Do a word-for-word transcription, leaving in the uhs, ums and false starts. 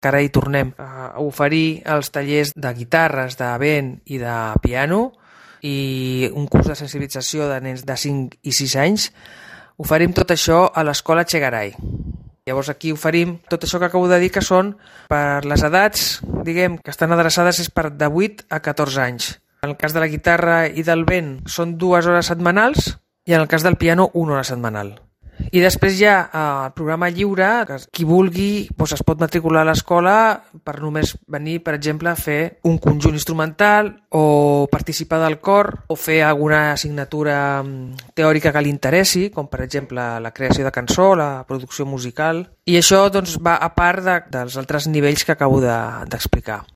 que ara hi tornem a oferir els tallers de guitarres, de vent i de piano i un curs de sensibilització de nens de cinc i sis anys. Oferim tot això a l'Escola Chegaray. Llavors aquí oferim tot això que acabo de dir, que són per les edats, diguem, que estan adreçades és per de vuit a catorze anys. En el cas de la guitarra i del vent són dues hores setmanals i en el cas del piano una hora setmanal. I després hi ha el programa lliure, que qui vulgui doncs es pot matricular a l'escola per només venir, per exemple, a fer un conjunt instrumental o participar del cor o fer alguna assignatura teòrica que li interessi, com per exemple la creació de cançó, la producció musical. I això doncs, va a part de, dels altres nivells que acabo de, d'explicar.